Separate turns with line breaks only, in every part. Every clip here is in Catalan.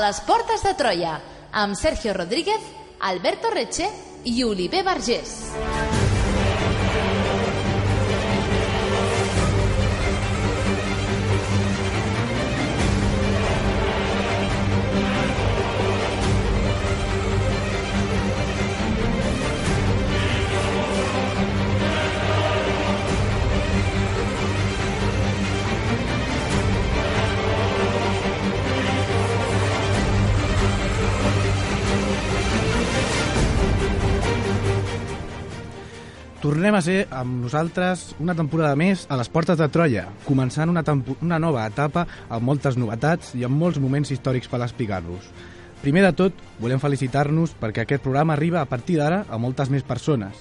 les portes de Troia, amb Sergio Rodríguez, Alberto Reche i Oliver Vergés.
Tornem a ser amb nosaltres una temporada més a les portes de Troia, començant una nova etapa amb moltes novetats i amb molts moments històrics per explicar-vos. Primer de tot, volem felicitar-nos perquè aquest programa arriba a partir d'ara a moltes més persones.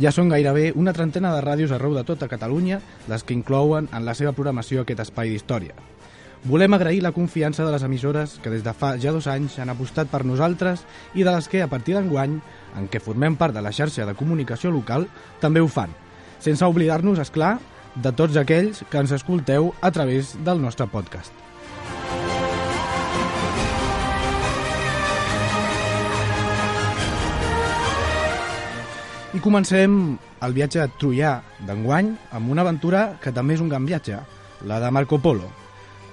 Ja són gairebé una trentena de ràdios arreu de tota Catalunya les que inclouen en la seva programació aquest espai d'història. Volem agrair la confiança de les emissores que des de fa ja 2 anys han apostat per nosaltres i de les que, a partir d'enguany, en què formem part de la xarxa de comunicació local, també ho fan. Sense oblidar-nos, és clar, de tots aquells que ens escolteu a través del nostre podcast. I comencem el viatge troià d'enguany amb una aventura que també és un gran viatge, la de Marco Polo.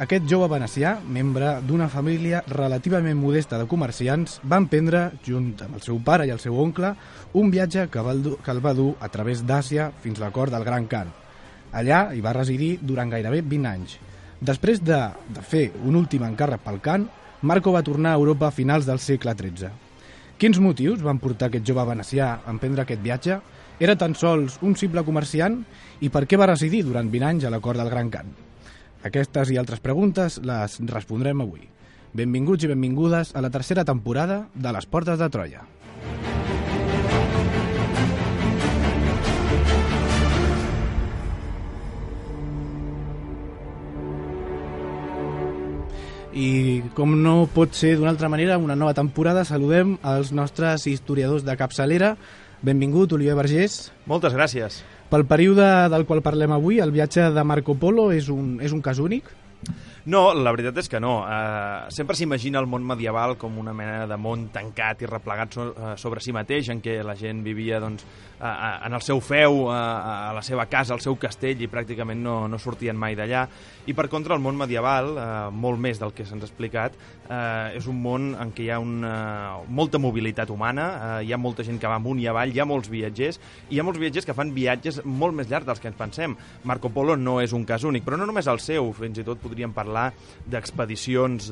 Aquest jove venecià, membre d'una família relativament modesta de comerciants, va emprendre, junt amb el seu pare i el seu oncle, un viatge que el va dur a través d'Àsia fins a la cort del Gran Khan. Allà hi va residir durant gairebé 20 anys. Després de fer un últim encàrrec pel Khan, Marco va tornar a Europa a finals del segle XIII. Quins motius van portar aquest jove venecià a emprendre aquest viatge? Era tan sols un simple comerciant? I per què va residir durant 20 anys a la cort del Gran Khan? Aquestes i altres preguntes les respondrem avui. Benvinguts i benvingudes a la tercera temporada de Les Portes de Troia. I com no pot ser d'una altra manera, una nova temporada, saludem els nostres historiadors de capçalera. Benvingut, Oliver Vergés.
Moltes gràcies.
Pel període del qual parlem avui, el viatge de Marco Polo és un cas únic?
No, la veritat és que no. Sempre s'imagina el món medieval com una mena de món tancat i replegat sobre si mateix, en què la gent vivia doncs, en el seu feu, a la seva casa, al seu castell, i pràcticament no sortien mai d'allà. I per contra, el món medieval, molt més del que se'ns ha explicat, és un món en què hi ha molta mobilitat humana, hi ha molta gent que va amunt i avall, hi ha molts viatgers, i hi ha molts viatgers que fan viatges molt més llargs dels que ens pensem. Marco Polo no és un cas únic, però no només el seu, fins i tot podríem parlar d'expedicions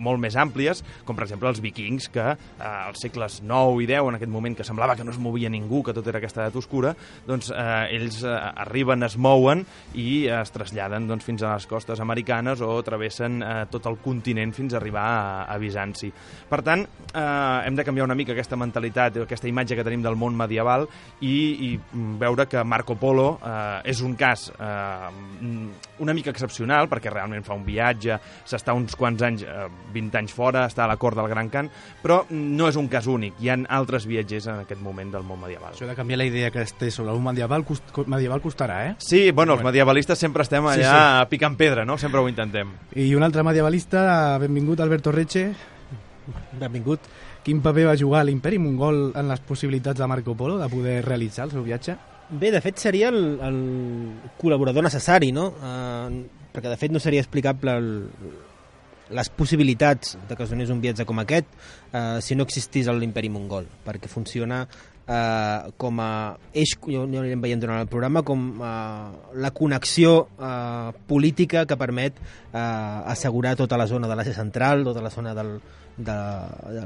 molt més àmplies, com per exemple els vikings, que als segles IX i X, en aquest moment que semblava que no es movia ningú, que tot era aquesta edat oscura, doncs ells arriben, es mouen i es traslladen doncs, fins a les costes americanes o travessen tot el continent fins a arribar a Bizanci. Per tant, hem de canviar una mica aquesta mentalitat, aquesta imatge que tenim del món medieval i veure que Marco Polo és un cas una mica excepcional, perquè realment fa un viatge, s'està uns quants anys, 20 anys fora, està a la cort del Gran Khan, però no és un cas únic, hi ha altres viatgers en aquest moment del món medieval.
Això de canviar la idea que es té sobre un medieval costarà, eh?
Sí, bueno, els medievalistes sempre estem allà picant pedra, no? Sempre ho intentem.
I un altre medievalista, benvingut, Alberto Reche.
Benvingut.
Quin paper va jugar l'imperi mongol en les possibilitats de Marco Polo de poder realitzar el seu viatge?
Bé, de fet seria el col·laborador necessari, no? Perquè de fet no seria explicable les possibilitats de que es donés un viatge com aquest si no existís l'imperi mongol, perquè funciona com a eix, jo anirem veient durant el programa, com la connexió política que permet assegurar tota la zona de l'Àsia Central, tota la zona de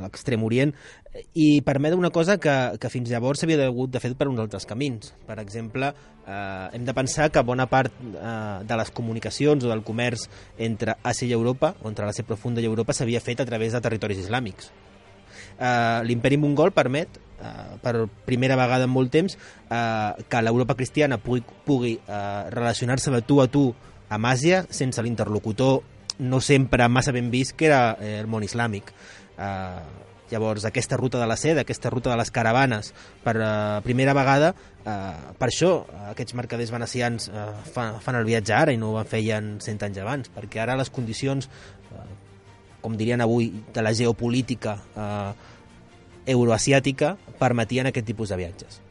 l'extrem orient, i permet una cosa que fins llavors s'havia hagut de fer per uns altres camins. Per exemple, hem de pensar que bona part de les comunicacions o del comerç entre Àsia i Europa, o entre l'Àsia profunda i Europa, s'havia fet a través de territoris islàmics. L'imperi mongol permet, per primera vegada en molt temps, que l'Europa cristiana pugui relacionar-se de tu a tu amb Àsia sense l'interlocutor no sempre massa ben vist, que era el món islàmic. Llavors, aquesta ruta de la seda, aquesta ruta de les caravanes, per primera vegada, per això aquests mercaders venecians fan el viatge ara i no ho feien 100 anys abans, perquè ara les condicions com dirien avui, de la geopolítica euroasiàtica, permetien aquest tipus de viatges.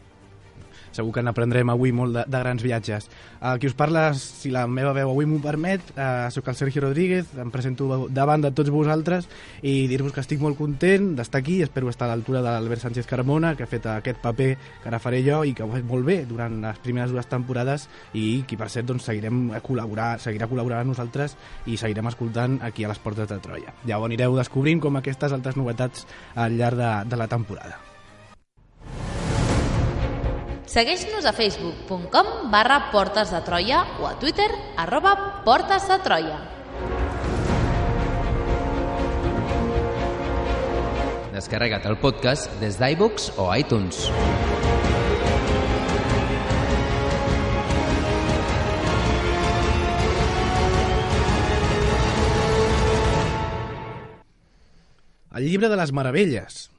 Segur que n'aprendrem avui molt de grans viatges. Qui us parla, si la meva veu avui m'ho permet, sóc el Sergio Rodríguez, em presento davant de tots vosaltres i dir-vos que estic molt content d'estar aquí, espero estar a l'altura de l'Albert Sánchez Carmona, que ha fet aquest paper que ara faré jo i que ho ha fet molt bé durant les primeres 2 temporades i qui per cert doncs, seguirà col·laborant amb nosaltres i seguirem escoltant aquí a les Portes de Troia. Ja ho anireu descobrint com aquestes altres novetats al llarg de la temporada.
Segueix-nos a facebook.com/Portes de Troia o a Twitter @Portes de Troia.
Descarrega't el podcast des d'iVoox o iTunes.
El llibre de les meravelles.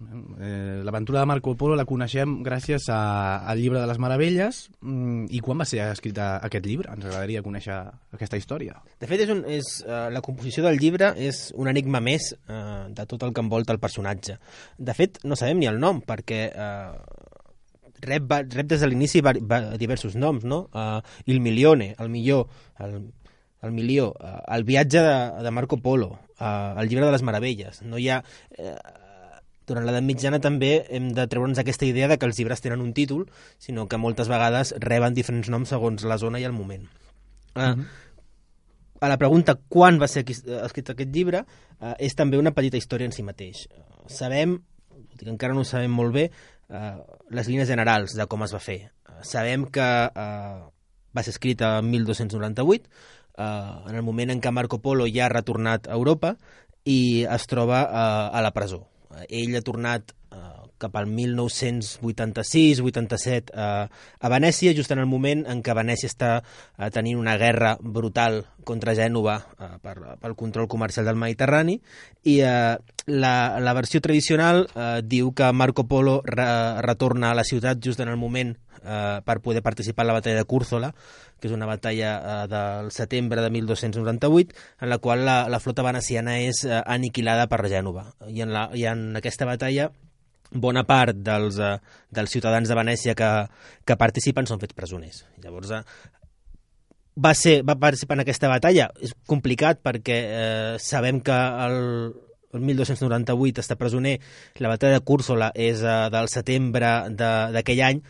L'aventura de Marco Polo la coneixem gràcies al llibre de les meravelles. I quan va ser escrita aquest llibre? Ens agradaria conèixer aquesta història.
De fet, la composició del llibre és un enigma més de tot el que envolta el personatge. De fet, no sabem ni el nom, perquè rep des de l'inici diversos noms, no? Il Milione, el millor, el milió, el viatge de Marco Polo, el llibre de les meravelles. No hi ha... Durant l'edat mitjana també hem de treure'ns aquesta idea de que els llibres tenen un títol, sinó que moltes vegades reben diferents noms segons la zona i el moment. A la pregunta quan va ser escrit aquest llibre, és també una petita història en si mateix. Sabem, tot i que encara no ho sabem molt bé, les línies generals de com es va fer. Sabem que va ser escrit en 1298, en el moment en què Marco Polo ja ha retornat a Europa i es troba a la presó. Ell ha tornat cap al 1986-87 a Venècia, just en el moment en què Venècia està tenint una guerra brutal contra Gènova pel control comercial del Mediterrani, i la versió tradicional diu que Marco Polo retorna a la ciutat just en el moment per poder participar en la batalla de Cúrzola, que és una batalla del setembre de 1298, en la qual la flota veneciana és aniquilada per Gènova. I en aquesta batalla bona part dels ciutadans de Venècia que participen són fets presoners. Llavors, va participar en aquesta batalla. És complicat perquè sabem que el 1298 està presoner, la batalla de Cúrzola és del setembre d'aquell any.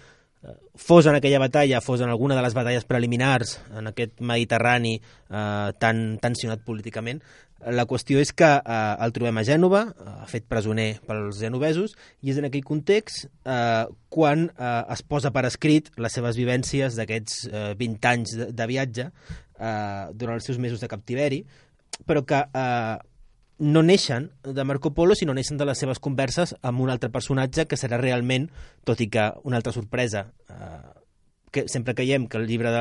Fos en aquella batalla, fos en alguna de les batalles preliminars en aquest Mediterrani tan tensionat políticament, la qüestió és que el trobem a Gènova, fet presoner pels genovesos, i és en aquell context quan es posa per escrit les seves vivències d'aquests 20 anys de viatge durant els seus mesos de captiveri, però que no neixen de Marco Polo, sinó neixen de les seves converses amb un altre personatge que serà realment, tot i que una altra sorpresa, que sempre creiem que el llibre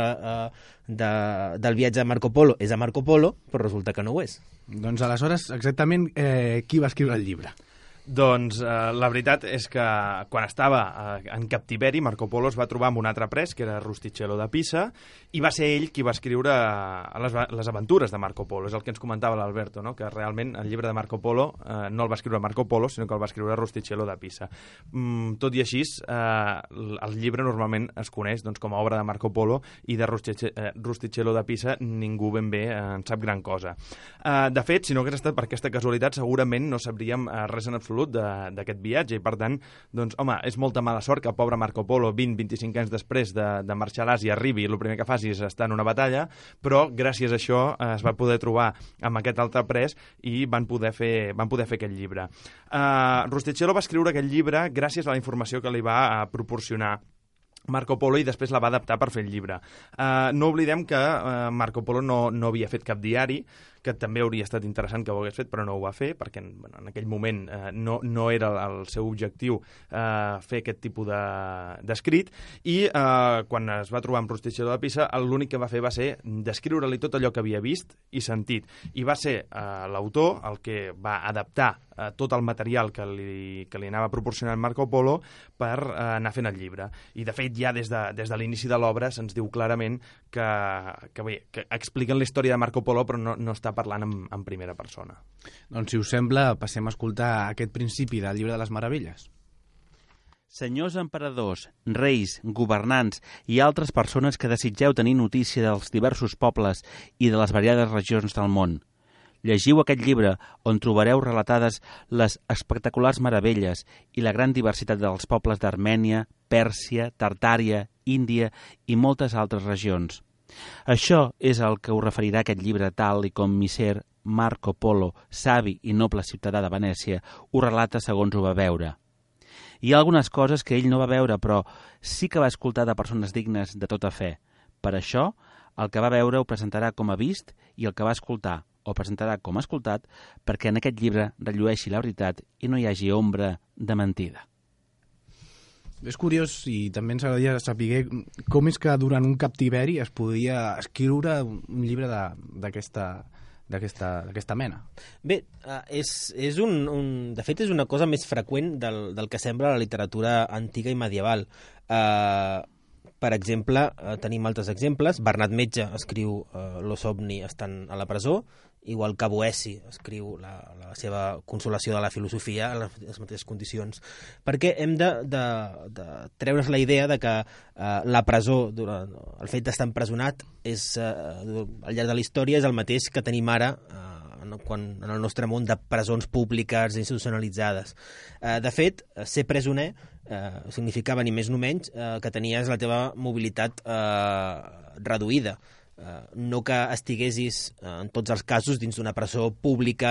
del viatge de Marco Polo és a Marco Polo, però resulta que no ho és.
Doncs aleshores, exactament, qui va escriure el llibre?
Doncs la veritat és que quan estava en captiveri, Marco Polo es va trobar amb un altre pres, que era Rustichello de Pisa, i va ser ell qui va escriure les aventures de Marco Polo. És el que ens comentava l'Alberto, no? Que realment el llibre de Marco Polo no el va escriure Marco Polo, sinó que el va escriure Rustichello de Pisa. Tot i així, el llibre normalment es coneix doncs, com a obra de Marco Polo, i de Rustichello de Pisa ningú ben bé en sap gran cosa. De fet, si no hagués estat per aquesta casualitat, segurament no sabríem res en absolut d'aquest viatge, i per tant, doncs, home, és molta mala sort que el pobre Marco Polo 20-25 anys després de marxar a l'Àsia arribi i el primer que faci és estar en una batalla, però gràcies a això es va poder trobar amb aquest altre pres i van poder fer aquest llibre. Rustichello va escriure aquest llibre gràcies a la informació que li va proporcionar Marco Polo i després la va adaptar per fer el llibre. No oblidem que Marco Polo no havia fet cap diari, que també hauria estat interessant que ho hagués fet, però no ho va fer, perquè en aquell moment no era el seu objectiu fer aquest tipus d'escrit, i quan es va trobar amb Rustichello de Pisa, l'únic que va fer va ser descriure-li tot allò que havia vist i sentit, i va ser l'autor el que va adaptar tot el material que li anava proporcionant Marco Polo per anar fent el llibre. I de fet ja des de l'inici de l'obra se'ns diu clarament que expliquen la història de Marco Polo, però no està parlant en primera persona.
Doncs, si us sembla, passem a escoltar aquest principi del Llibre de les Meravelles.
Senyors emperadors, reis, governants i altres persones que desitgeu tenir notícia dels diversos pobles i de les variades regions del món. Llegiu aquest llibre on trobareu relatades les espectaculars meravelles i la gran diversitat dels pobles d'Armènia, Pèrsia, Tartària, Índia i moltes altres regions. Això és el que us referirà aquest llibre tal i com Misser Marco Polo, savi i noble ciutadà de Venècia, ho relata segons ho va veure. Hi ha algunes coses que ell no va veure, però sí que va escoltar de persones dignes de tota fe. Per això, el que va veure ho presentarà com a vist i el que va escoltar ho presentarà com a escoltat, perquè en aquest llibre rellueixi la veritat i no hi hagi ombra de mentida.
És curiós i també ens agradaria saber com és que durant un captiveri es podia escriure un llibre d'aquesta mena.
Bé, de fet és una cosa més freqüent del que sembla la literatura antiga i medieval. Per exemple, tenim altres exemples. Bernat Metge escriu Lo Somni estant a la presó, igual que Boeci escriu la seva Consolació de la filosofia en les mateixes condicions. Perquè hem de treure's la idea de que la presó, el fet d'estar empresonat, al llarg de la història és el mateix que tenim ara en el nostre món de presons públiques institucionalitzades. De fet, ser presoner significava ni més ni menys que tenies la teva mobilitat reduïda. No que estiguessis en tots els casos dins d'una presó pública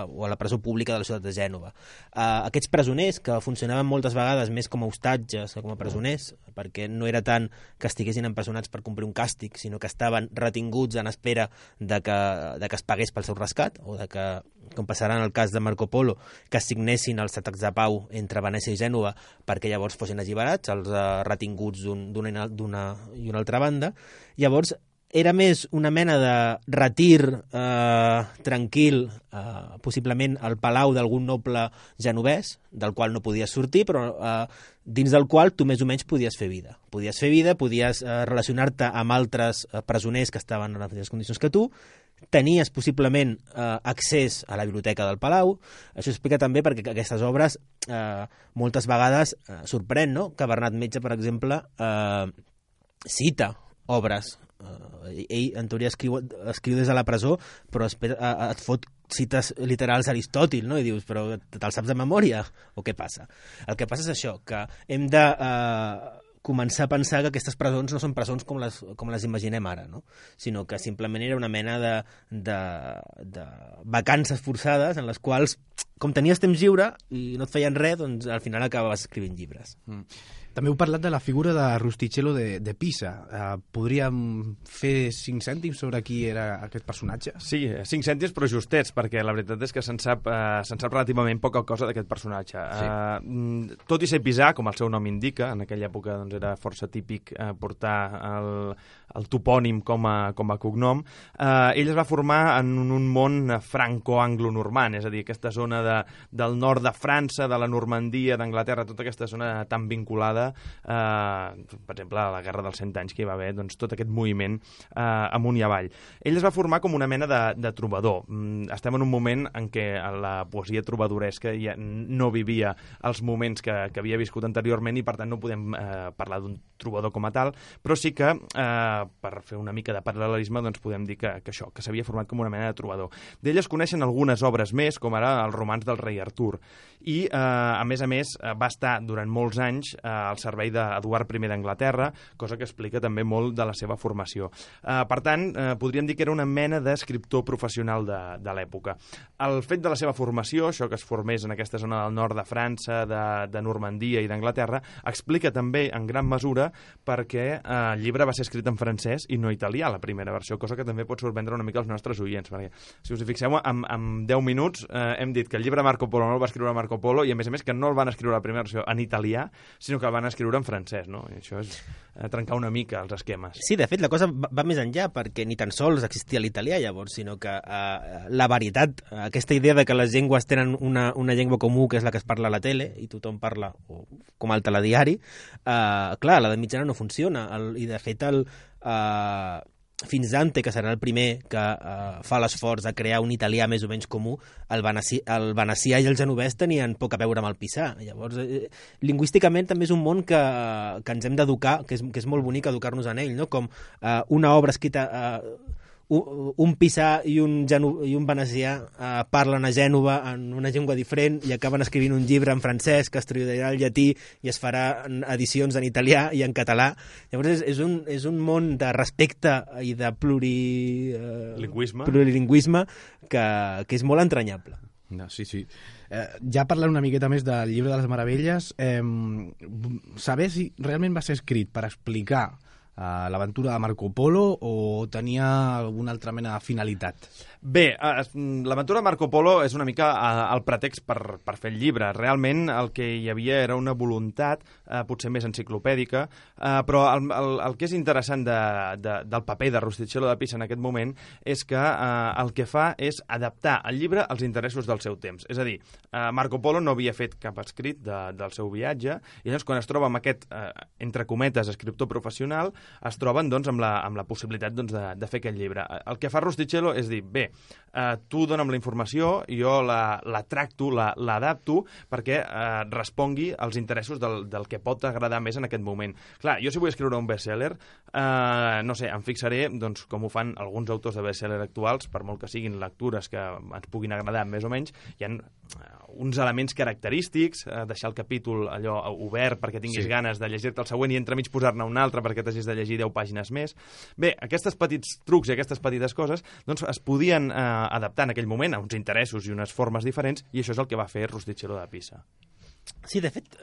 o a la presó pública de la ciutat de Gènova. Aquests presoners, que funcionaven moltes vegades més com a hostatges que com a presoners, perquè no era tant que estiguessin empresonats per complir un càstig, sinó que estaven retinguts en espera de que es pagués pel seu rescat, o de que, com passarà en el cas de Marco Polo, que signessin els tractats de pau entre Venècia i Gènova perquè llavors fossin alliberats els retinguts d'una i una altra banda. Llavors, era més una mena de retir tranquil, possiblement al palau d'algun noble genovès, del qual no podies sortir, però dins del qual tu més o menys podies fer vida. Podies relacionar-te amb altres presoners que estaven en les mateixes condicions que tu, tenies possiblement accés a la biblioteca del palau. Això explica també perquè aquestes obres moltes vegades sorprèn, no? Que Bernat Metge, per exemple, cita obres. Ell, en teoria, escriu des de la presó, però et fot cites literals d'Aristòtil, no? I dius, però te'l saps de memòria? O què passa? El que passa és això, que hem de començar a pensar que aquestes presons no són presons com les imaginem ara, no? Sinó que simplement era una mena de vacances forçades en les quals, com tenies temps lliure i no et feien res, doncs al final acabaves escrivint llibres.
També heu parlat de la figura de Rustichello de Pisa. Podríem fer 5 cèntims sobre qui era aquest personatge?
Sí, 5 cèntims però justets, perquè la veritat és que se'n sap relativament poca cosa d'aquest personatge. Sí. Tot i ser pisà, com el seu nom indica, en aquella època doncs, era força típic portar el topònim com a cognom, ell es va formar en un món franco-anglo-normand, és a dir, aquesta zona del nord de França, de la Normandia, d'Anglaterra, tota aquesta zona tan vinculada per exemple, a la Guerra dels 100 anys que hi va haver doncs, tot aquest moviment amunt i avall. Ell es va formar com una mena de trobador. Estem en un moment en què la poesia trobadoresca ja no vivia els moments que havia viscut anteriorment i per tant no podem parlar d'un trobador com a tal, però sí que per fer una mica de paral·lelisme doncs podem dir que això, que s'havia format com una mena de trobador. D'ell es coneixen algunes obres més, com ara el romanç del rei Artur, i a més va estar durant molts anys al servei d'Eduard I d'Anglaterra, cosa que explica també molt de la seva formació. Per tant, podríem dir que era una mena d'escriptor professional de l'època. El fet de la seva formació, això que es formés en aquesta zona del nord de França, de Normandia i d'Anglaterra, explica també en gran mesura perquè el llibre va ser escrit en francès i no italià, la primera versió, cosa que també pot sorprendre una mica els nostres oients, perquè si us hi fixeu, en 10 minuts hem dit que el llibre Marco Polo no el va escriure Marco Polo i a més que no el van escriure la primera versió en italià, sinó que el van escriure en francès, no? I això és trencar una mica els esquemes.
Sí, de fet, la cosa va més enllà, perquè ni tan sols existia l'italià llavors, sinó que la varietat, aquesta idea de que les llengües tenen una llengua comú, que és la que es parla a la tele, i tothom parla com al telediari, clar, la de mitjana no funciona, i de fet fins Dante, que serà el primer que fa l'esforç de crear un italià més o menys comú, el venecià i el genovès tenien poc a veure amb el pisà. Llavors, lingüísticament també és un món que ens hem d'educar, que és molt bonic educar-nos en ell, no? Com una obra escrita... un pisà i un venecià parlen a Gènova en una llengua diferent i acaben escrivint un llibre en francès que es traduirà al llatí i es farà edicions en italià i en català. Llavors és un món de respecte i de plurilingüisme que és molt entranyable.
No, sí. Ja parlant una miqueta més del Llibre de les Meravelles, saber si realment va ser escrit per explicar l'aventura de Marco Polo o tenia alguna altra mena de finalitat?
Bé, l'aventura de Marco Polo és una mica el pretext per fer el llibre. Realment el que hi havia era una voluntat, potser més enciclopèdica, però el que és interessant del paper de Rustichello de Pisa en aquest moment és que el que fa és adaptar el llibre als interessos del seu temps. És a dir, Marco Polo no havia fet cap escrit del seu viatge i llavors quan es troba amb aquest, entre cometes, escriptor professional, es troben doncs, amb la possibilitat doncs, de fer aquest llibre. El que fa Rustichello és dir, bé, tu dona'm la informació, jo la tracto, l'adapto perquè respongui als interessos del que pot agradar més en aquest moment. Clar, jo si vull escriure un bestseller, no sé, em fixaré doncs, com ho fan alguns autors de bestseller actuals, per molt que siguin lectures que ens puguin agradar més o menys, hi ha uns elements característics, deixar el capítol allò obert perquè tinguis ganes de llegir-te el següent i entremig posar-ne un altre perquè t'hagis de llegir 10 pàgines més. Bé, aquests petits trucs i aquestes petites coses doncs, es podien adaptar en aquell moment a uns interessos i unes formes diferents i això és el que va fer Rustichello de Pisa.
Sí, de fet,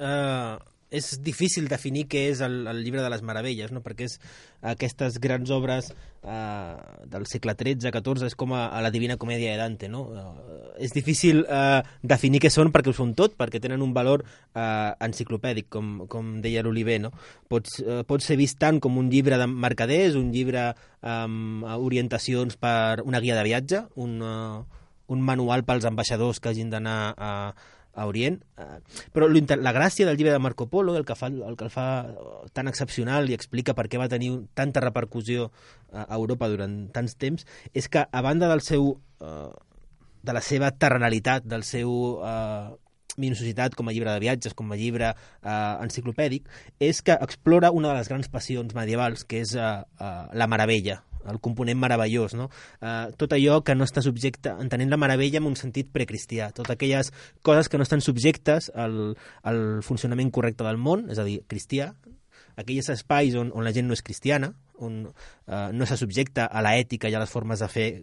és difícil definir què és el Llibre de les Meravelles, no? Perquè és aquestes grans obres del segle XIII-XIV, és com a la Divina Comèdia de Dante, no? És difícil definir què són perquè ho són tot, perquè tenen un valor enciclopèdic, com deia l'Oliver, no? Pot ser vist tant com un llibre de mercaders, un llibre amb orientacions per una guia de viatge, un manual pels ambaixadors que hagin d'anar a Orient, però la gràcia del llibre de Marco Polo, el que el fa tan excepcional i explica per què va tenir tanta repercussió a Europa durant tants temps, és que a banda de la seva terrenalitat, del seu minuciositat com a llibre de viatges, com a llibre enciclopèdic, és que explora una de les grans passions medievals, que és la meravella, el component meravellós, no? Tot allò que no està subjecte, entenent la meravella en un sentit precristià, totes aquelles coses que no estan subjectes al funcionament correcte del món, és a dir, cristià, aquells espais on la gent no és cristiana, on no se subjecta a l'ètica i a les formes de fer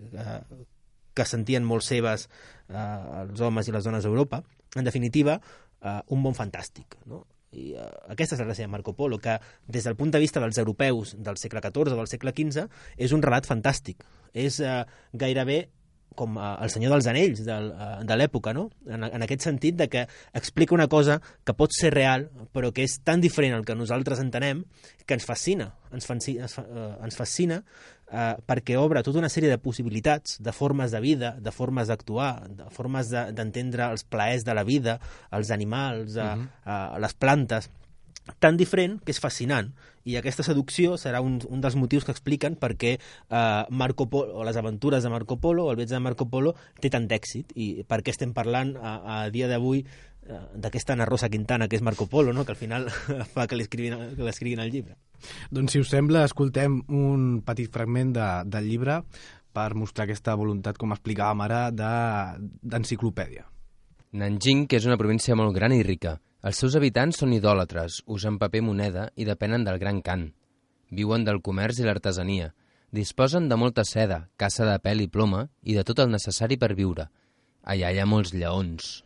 que sentien molt seves els homes i les dones d'Europa. En definitiva, un món fantàstic, no? I aquesta és la gràcia de Marco Polo, que des del punt de vista dels europeus del segle XIV o del segle XV és un relat fantàstic, és gairebé com el Senyor dels Anells de l'època, no? En aquest sentit de que explica una cosa que pot ser real però que és tan diferent al que nosaltres entenem que ens fascina, perquè obre tota una sèrie de possibilitats, de formes de vida, de formes d'actuar, de formes d'entendre els plaers de la vida, els animals, les plantes, tan diferent que és fascinant. I aquesta seducció serà un dels motius que expliquen per què Marco Polo, o les aventures de Marco Polo, o el viatge de Marco Polo, té tant d'èxit, i per què estem parlant a dia d'avui d'aquesta Ana Rosa Quintana, que és Marco Polo, no? Que al final fa que l'escriguin al llibre.
Doncs, si us sembla, escoltem un petit fragment del llibre per mostrar aquesta voluntat, com explicàvem ara, d'enciclopèdia.
Nanjing, que és una província molt gran i rica. Els seus habitants són idòlatres, usen paper moneda i depenen del Gran Khan. Viuen del comerç i l'artesania. Disposen de molta seda, caça de pèl i ploma i de tot el necessari per viure. Allà hi ha molts lleons.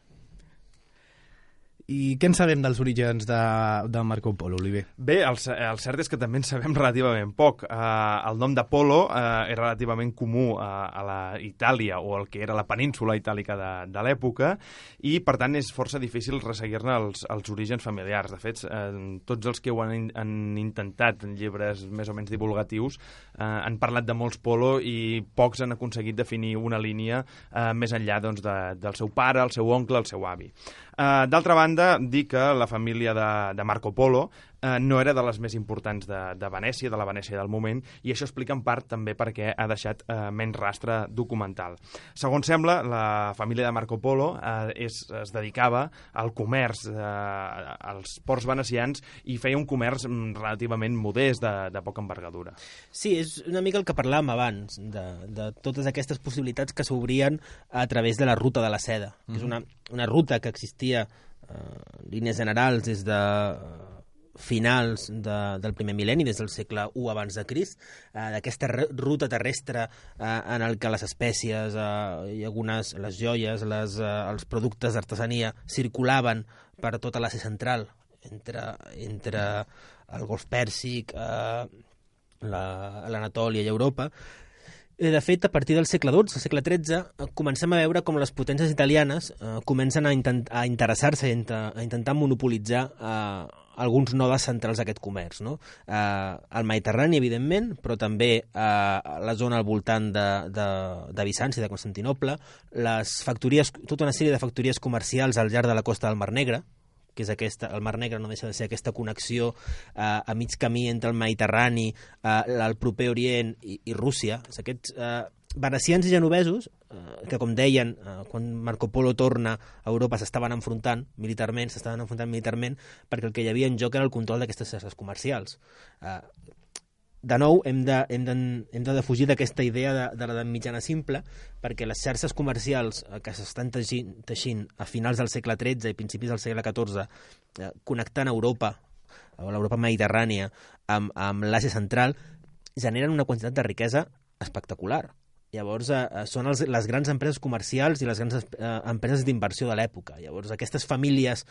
I què en sabem dels orígens de Marco Polo, Oliver?
Bé, el cert és que també en sabem relativament poc. El nom de Polo és relativament comú a la Itàlia o el que era la península itàlica de l'època i, per tant, és força difícil resseguir-ne els orígens familiars. De fet, tots els que ho han intentat en llibres més o menys divulgatius han parlat de molts Polo i pocs han aconseguit definir una línia més enllà doncs, del seu pare, el seu oncle, el seu avi. D'altra banda, banda, dir que la família de Marco Polo no era de les més importants de Venècia, de la Venècia del moment, i això explica en part també per què ha deixat menys rastre documental. Segons sembla, la família de Marco Polo es dedicava al comerç als ports venecians i feia un comerç relativament modest, de poca envergadura.
Sí, és una mica el que parlàvem abans, de totes aquestes possibilitats que s'obrien a través de la ruta de la seda, que és una ruta que existia en línies generals des de finals del primer mil·lenni, des del segle I abans de Crist, d'aquesta ruta terrestre en el que les espècies i algunes, les joies, els productes d'artesania circulaven per tota l'Àsia central, entre el Golf Pèrsic, l'Anatòlia i Europa. De fet, a partir del segle XII, el segle XIII, comencem a veure com les potències italianes comencen a interessar-se i a intentar monopolitzar alguns nodes centrals d'aquest comerç, no? El Mediterrani, evidentment, però també la zona al voltant de Bizanci, de Constantinoble, tota una sèrie de factories comercials al llarg de la costa del Mar Negre, que és el Mar Negre no deixa de ser aquesta connexió a mig camí entre el Mediterrani, el proper Orient i Rússia. Aquests venecians i genovesos, que com deien, quan Marco Polo torna a Europa s'estaven enfrontant militarment, perquè el que hi havia en joc era el control d'aquestes xarxes comercials. De nou, hem de defugir d'aquesta idea de l'edat mitjana simple, perquè les xarxes comercials que s'estan teixint a finals del segle XIII i principis del segle XIV, connectant Europa, o l'Europa mediterrània, amb l'Àsia central, generen una quantitat de riquesa espectacular. Llavors, són les grans empreses comercials i les grans empreses d'inversió de l'època. Llavors, aquestes famílies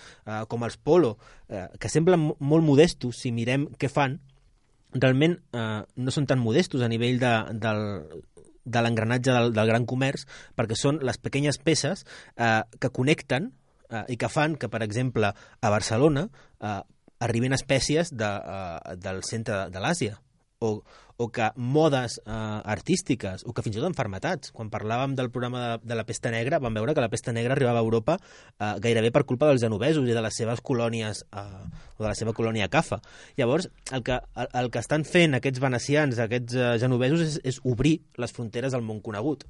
com els Polo, que semblen molt modestos si mirem què fan, realment no són tan modestos a nivell de l'engranatge del gran comerç, perquè són les pequeñes peces que connecten i que fan que, per exemple, a Barcelona arriben espècies del centre de l'Àsia, o que modes artístiques, o que fins i tot enfermetats. Quan parlàvem del programa de la pesta negra, vam veure que la pesta negra arribava a Europa gairebé per culpa dels genovesos i de les seves colònies, o de la seva colònia Cafa. Llavors, el que estan fent aquests venecians, aquests genovesos, és obrir les fronteres del món conegut.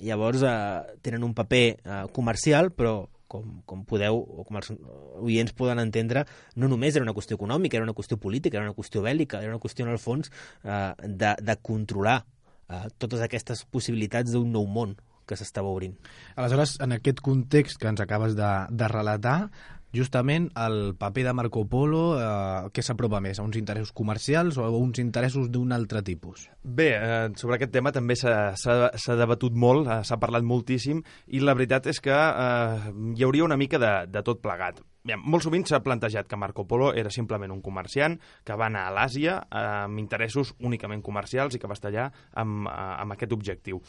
Llavors, tenen un paper comercial, però com podeu, o com els oients poden entendre, no només era una qüestió econòmica, era una qüestió política, era una qüestió bèl·lica, era una qüestió, en el fons, de controlar totes aquestes possibilitats d'un nou món que s'estava obrint.
Aleshores, en aquest context que ens acabes de relatar, justament el paper de Marco Polo, què s'apropa més? A uns interessos comercials o a uns interessos d'un altre tipus?
Bé, sobre aquest tema també s'ha debatut molt, s'ha parlat moltíssim, i la veritat és que hi hauria una mica de tot plegat. Bé, molt sovint s'ha plantejat que Marco Polo era simplement un comerciant que va anar a l'Àsia amb interessos únicament comercials i que va estar allà amb aquest objectiu.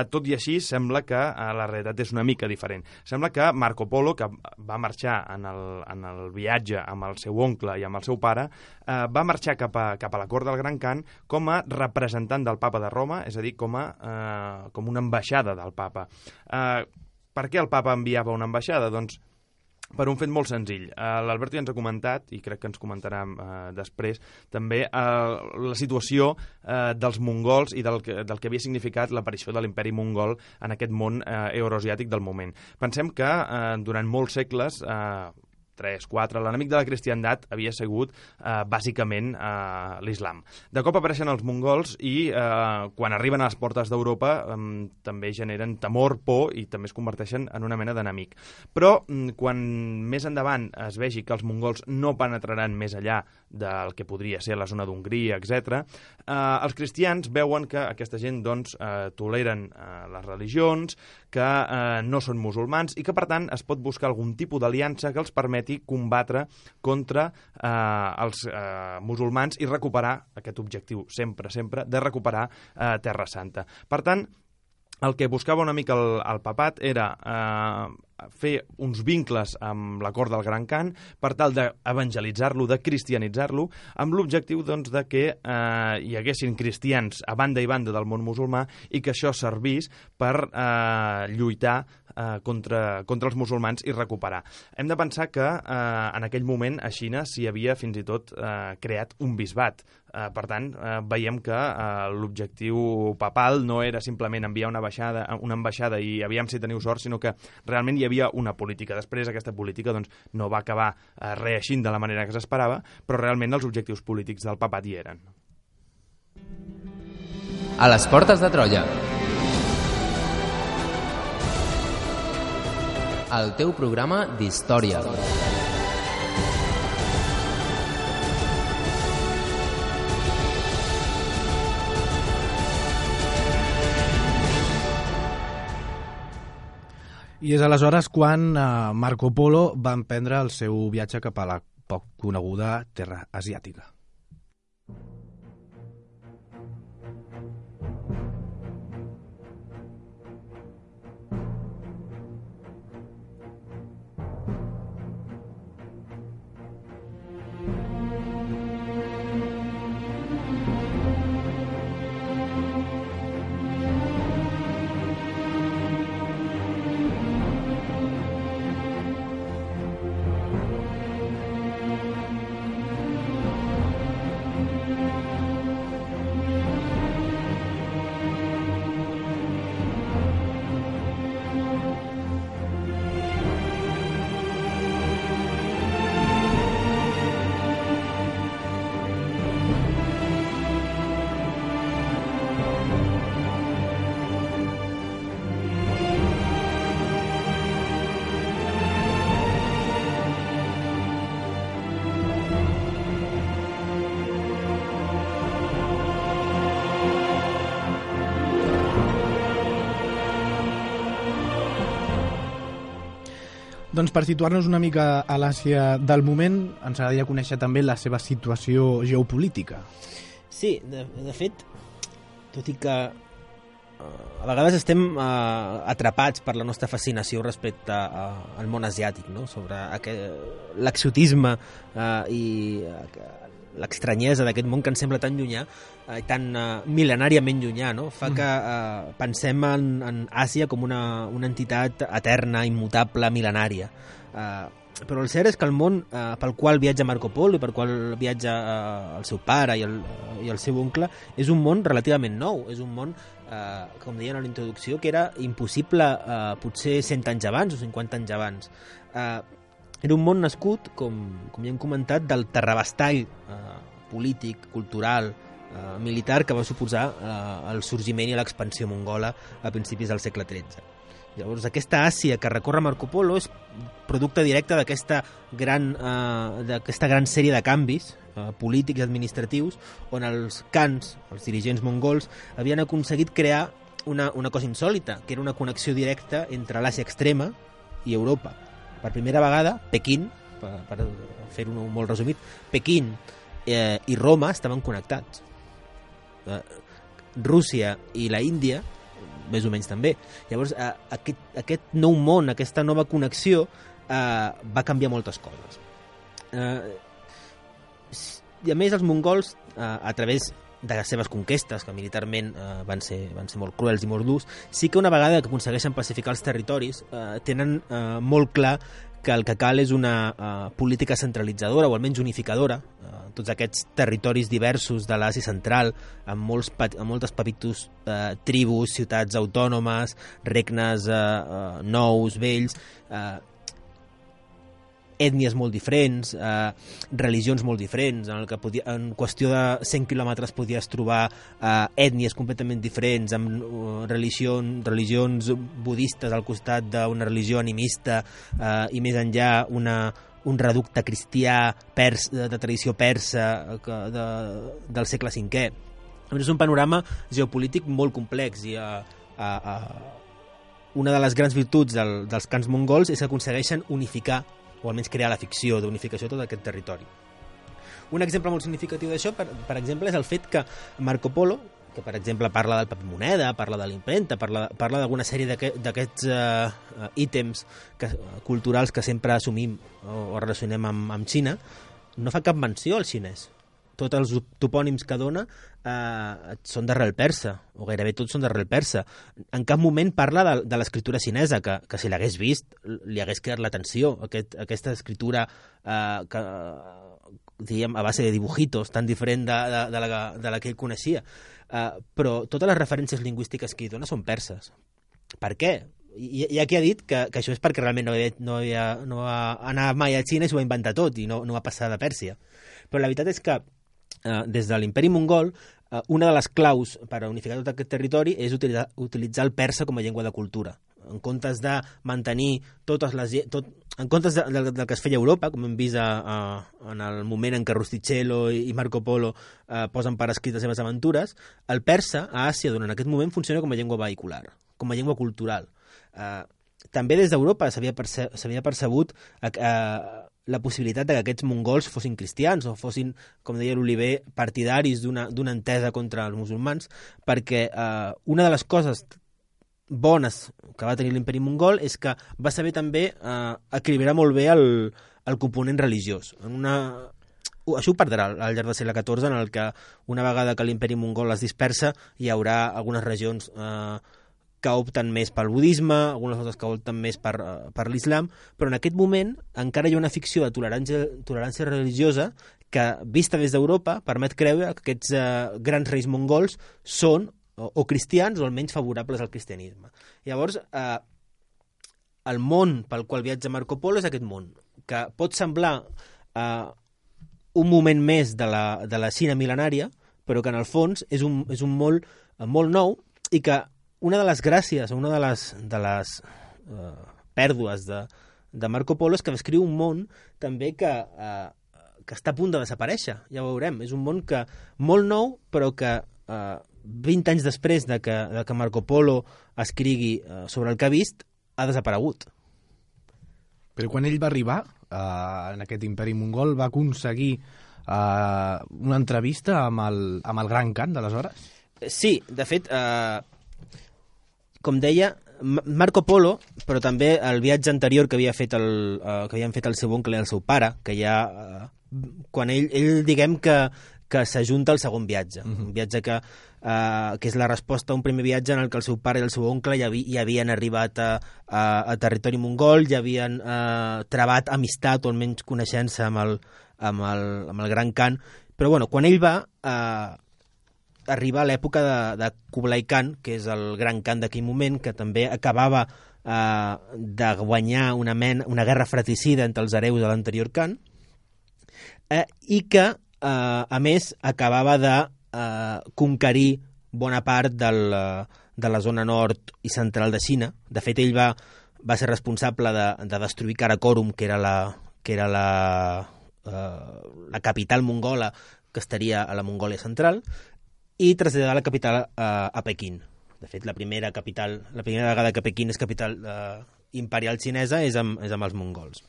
Tot i així, sembla que la realitat és una mica diferent. Sembla que Marco Polo, que va marxar en el viatge amb el seu oncle i amb el seu pare, va marxar cap a la cort del Gran Khan com a representant del papa de Roma, és a dir, com una ambaixada del papa. Per què el papa enviava una ambaixada? Doncs per un fet molt senzill. L'Alberto ja ens ha comentat, i crec que ens comentarà després, també la situació dels mongols i del que havia significat l'aparició de l'imperi mongol en aquest món euroasiàtic del moment. Pensem que durant molts segles 3, 4, l'enemic de la cristiandat havia sigut bàsicament l'islam. De cop apareixen els mongols i quan arriben a les portes d'Europa també generen temor, por i també es converteixen en una mena d'enemic. Però quan més endavant es vegi que els mongols no penetraran més enllà del que podria ser la zona d'Hongria, etc., els cristians veuen que aquesta gent doncs, toleren les religions, que no són musulmans i que, per tant, es pot buscar algun tipus d'aliança que els permeti combatre contra els musulmans i recuperar aquest objectiu, sempre, de recuperar Terra Santa. Per tant, el que buscava una mica el papat era fer uns vincles amb la cort del Gran Khan per tal d'evangelitzar-lo, de cristianitzar-lo, amb l'objectiu doncs, de que hi haguessin cristians a banda i banda del món musulmà i que això servís per lluitar contra els musulmans i recuperar. Hem de pensar que en aquell moment a Xina s'hi havia fins i tot creat un bisbat. Per tant, veiem que l'objectiu papal no era simplement enviar una ambaixada i aviam si teniu sort, sinó que realment hi havia una política. Després aquesta política doncs, no va acabar reeixint de la manera que s'esperava, però realment els objectius polítics del papat hi eren.
A les portes de Troia. El teu programa d'història.
I és aleshores quan Marco Polo va emprendre el seu viatge cap a la poc coneguda terra asiàtica. Doncs per situar-nos una mica a l'Àsia del moment, ens agradaria conèixer també la seva situació geopolítica.
Sí, de fet, tot i que a vegades estem atrapats per la nostra fascinació respecte al món asiàtic, no? Sobre l'exotisme i l'estranyesa d'aquest món que ens sembla tan llunyà, tan mil·lenàriament llunyà, no? Fa que pensem en Àsia com una entitat eterna, immutable, mil·lenària. Però el cert és que el món pel qual viatja Marco Polo i per qual viatja el seu pare i el seu oncle és un món relativament nou, és un món, com deien a la introducció, que era impossible potser 100 anys abans o 50 anys abans. Era un món nascut, com ja hem comentat, del terrabastall polític, cultural, militar que va suposar el sorgiment i l'expansió mongola a principis del segle XIII. Llavors, aquesta Àsia que recorre Marco Polo és producte directe d'aquesta gran sèrie de canvis polítics i administratius on els khans, els dirigents mongols, havien aconseguit crear una cosa insòlita, que era una connexió directa entre l'Àsia extrema i Europa. Per primera vegada, Pequín, per fer-ho molt resumit, Pequín i Roma estaven connectats. Rússia i la Índia, més o menys també. Llavors, aquest nou món, aquesta nova connexió, va canviar moltes coses. I a més, els mongols, a través de les seves conquestes, que militarment van ser molt cruels i molt durs, sí que una vegada que aconsegueixen pacificar els territoris tenen molt clar que el que cal és una política centralitzadora o almenys unificadora. Tots aquests territoris diversos de l'Àsia central, amb moltes petites tribus, ciutats autònomes, regnes nous, vells, ètnies molt diferents, religions molt diferents, en qüestió de 100 quilòmetres podies trobar ètnies completament diferents, amb religions budistes al costat d'una religió animista, i més enllà un reducte cristià de tradició persa del segle V. És un panorama geopolític molt complex i una de les grans virtuts dels khans mongols és que aconsegueixen unificar o almenys crear la ficció d'unificació de tot aquest territori. Un exemple molt significatiu d'això, per exemple, és el fet que Marco Polo, que per exemple parla del paper moneda, parla de l'impremta, parla d'alguna sèrie d'aquests ítems culturals que sempre assumim o relacionem amb Xina, no fa cap menció al xinès. Tots els topònims que dona són d'arrel persa, o gairebé tots són d'arrel persa. En cap moment parla de l'escriptura xinesa, que si l'hagués vist li hagués cridat l'atenció, aquesta escriptura que, diguem, a base de dibujitos, tan diferent de la que ell coneixia. Però totes les referències lingüístiques que hi dona són perses. Per què? Hi ha qui ha dit que això és perquè realment no va anar mai a Xina i s'ho va inventar tot i no va passar de Pèrsia. Però la veritat és que des de l'imperi mongol, una de les claus per a unificar tot aquest territori és utilitzar el persa com a llengua de cultura. En comptes de mantenir en comptes del que es feia a Europa, com hem vist en el moment en què Rustichello i Marco Polo posen per escrit les seves aventures, el persa a Àsia durant aquest moment funciona com a llengua vehicular, com a llengua cultural. També des d'Europa s'havia percebut la possibilitat que aquests mongols fossin cristians o fossin, com deia l'Oliver, partidaris d'una entesa contra els musulmans, perquè una de les coses bones que va tenir l'imperi mongol és que va saber també equilibrar molt bé el component religiós. Això ho perdrà al llarg del segle XIV, en el que una vegada que l'imperi mongol es dispersa hi haurà algunes regions que opten més pel budisme, algunes altres que opten més per l'islam, però en aquest moment encara hi ha una ficció de tolerància religiosa que, vista des d'Europa, permet creure que aquests grans reis mongols són o cristians o almenys favorables al cristianisme. Llavors, el món pel qual viatja Marco Polo és aquest món, que pot semblar un moment més de la Xina mil·lenària, però que en el fons és un món molt nou i que una de les gràcies o una de les pèrdues de Marco Polo és que descriu un món també que està a punt de desaparèixer, ja ho veurem. És un món molt nou, però que 20 anys després de que Marco Polo escrigui sobre el que ha vist, ha desaparegut.
Però quan ell va arribar en aquest imperi mongol va aconseguir una entrevista amb el Gran Khan d'aleshores?
Sí, de fet, com deia, Marco Polo, però també el viatge anterior que havien fet el seu oncle i el seu pare, que ja quan ell diguem que s'ajunta al segon viatge, un viatge que és la resposta a un primer viatge en el que el seu pare i el seu oncle ja havien arribat a territori mongol, ja havien travat amistat o almenys coneixença amb el Gran Khan, però bueno, quan ell va arriba a l'època de Kublai Khan, que és el Gran Khan d'aquell moment, que també acabava de guanyar una guerra fratricida entre els hereus de l'anterior Khan, i que, a més, acabava de conquerir bona part de la zona nord i central de Xina. De fet, ell va ser responsable de destruir Karakorum, que era la capital mongola que estaria a la Mongòlia central, i traslladar la capital a Pequín. De fet, la primera vegada que Pequín és capital imperial xinesa és amb els mongols.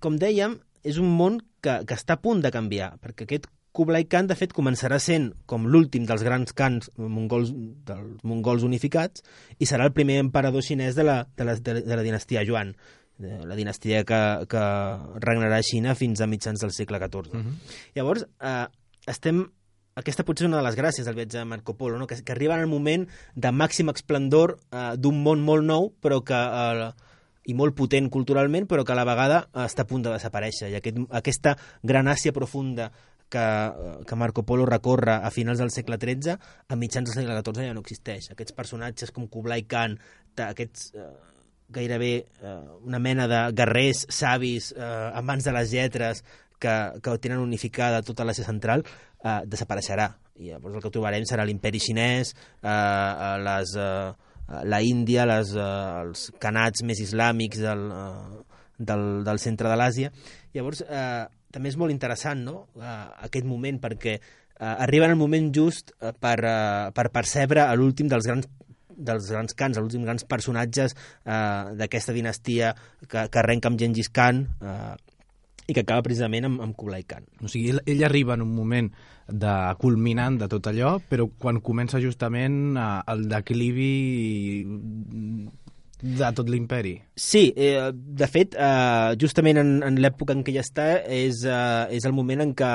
Com dèiem, és un món que està a punt de canviar, perquè aquest Kublai Khan, de fet, començarà sent com l'últim dels grans khans dels mongols unificats i serà el primer emperador xinès de la dinastia Yuan, la dinastia que regnarà a Xina fins a mitjans del segle XIV. Llavors, aquesta potser és una de les gràcies del viatge de Marco Polo, no? que arriba en el moment de màxim esplendor d'un món molt nou i molt potent culturalment, però que a la vegada està a punt de desaparèixer. I aquesta gran Àsia profunda que Marco Polo recorre a finals del segle XIII, a mitjans del segle XIV ja no existeix. Aquests personatges com Kublai Khan, aquests gairebé una mena de guerrers savis, amants de les lletres, que tenen unificada tota l'Àsia central, desapareixerà. I llavors el que trobarem serà l'imperi xinès, la Índia, els khanats més islàmics del centre de l'Àsia. Llavors, també és molt interessant, no?, aquest moment, perquè arriba en el moment just per percebre l'últim dels grans khans, els últims grans personatges d'aquesta dinastia que arrenca amb Gengis Khan i que acaba precisament amb Kublai Khan.
O sigui, ell arriba en un moment culminant de tot allò, però quan comença justament el declivi de tot l'imperi.
Sí, de fet, justament en l'època en què ella està és el moment en què